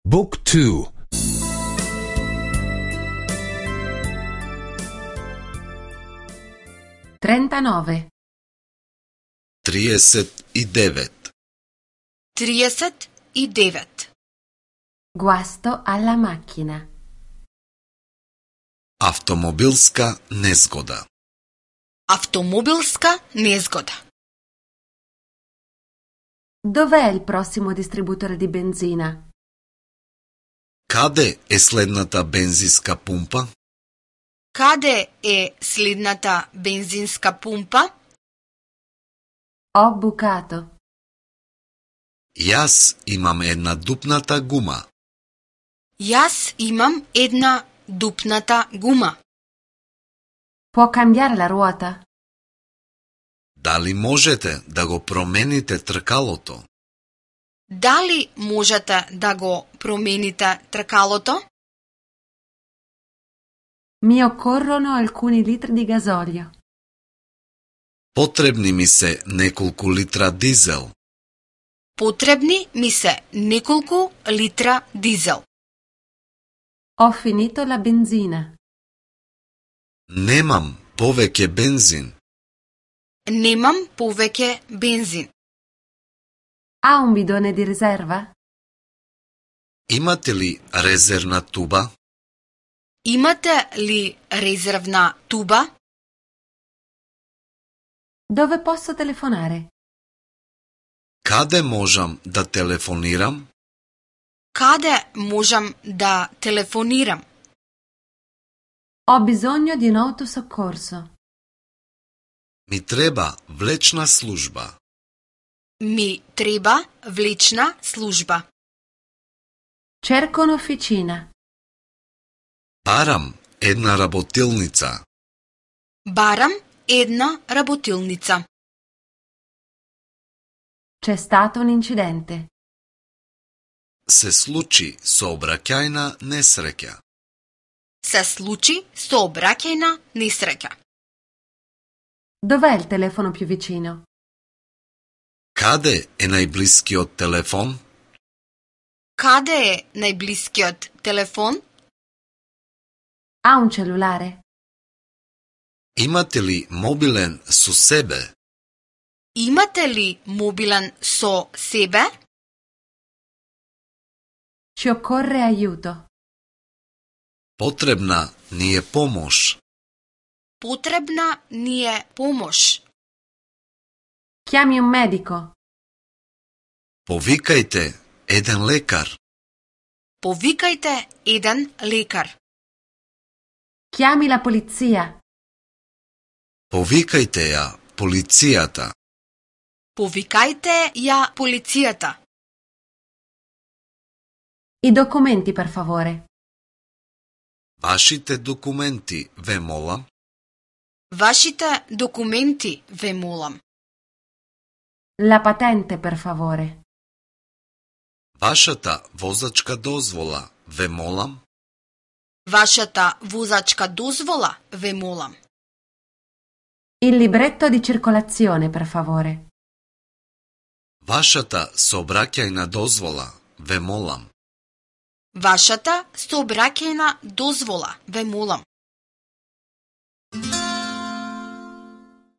Book 2. 39. 39. 39. Guasto alla macchina. Автомобилска незгода. Автомобилска незгода. Dov'è il prossimo distributore di benzina? Каде е следната бензинска пумпа? Каде е следната бензинска пумпа? Ho bucato. Јас имам една дупната гума. Јас имам една дупната гума. Può cambiare la ruota? Дали можете да го промените тркалото? Дали можете да го промените тркалото? Mi occorrono alcuni litri di gasolio. Потребни ми се неколку литра дизел. Потребни ми се неколку литра дизел. Ho finito la benzina. Немам повеќе бензин. Немам повеќе бензин. Ha un bidone di riserva? Имате ли резервна туба? Имате ли резервна туба? Dove posso telefonare? Каде можам да телефонирам? Каде можам да телефонирам? Ho bisogno di un autosoccorso. Ми треба влечна служба. Ми треба влечна служба. Cerco un'officina. Барам една работилница. Барам една работилница. C'è stato un incidente. Се случи сообраќајна несреќа. Се случи сообраќајна несреќа. Dov'è il telefono più vicino? Каде е најблискиот телефон? Каде е најблискиот телефон? Ha un cellulare? Имате ли мобилен со себе? Имате ли мобилен со себе? Ci occorre aiuto. Потребна ни е помош. Потребна ни е помош. Chiami un medico. Повикајте еден лекар. Повикајте еден лекар. Chiami la polizia. Повикајте ја полицијата. Повикајте ја полицијата. I documenti, per favore. Вашите документи, ве молам. Вашите документи, ве молам. La patente, per favore. Вашата возачка дозвола, ве молам. Вашата возачка дозвола, ве молам. Il libretto di circolazione, per favore. Вашата сообраќајна дозвола, ве молам. Вашата сообраќајна дозвола, ве молам.